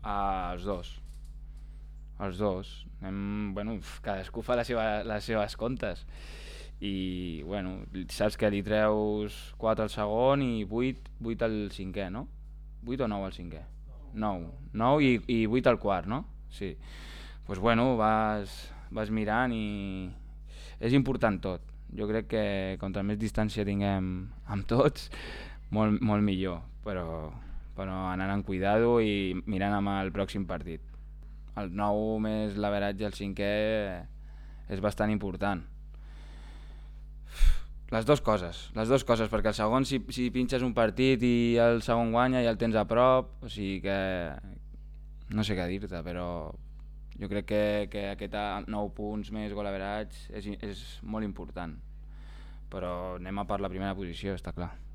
Els dos. Els dos. Cadascú fa les seves comptes. I, saps que li treus 4 al segon i 8 al cinquè, no? 8 o 9 al cinquè? 9. 9 i 8 al quart, no? Sí. Doncs vas mirant i és important tot. Jo crec que contra més distància tinguem amb tots, molt millor, però anant amb cuidado i mirant amb el pròxim partit. El 9 més l'averatge al cinquè és bastant important. Les dues coses, perquè el segon si pinxes un partit i el segon guanya ja el tens a prop, o sigui que no sé què dir-te, però jo crec que aquest 9 punts més gol average és molt important, però anem a per la primera posició, està clar.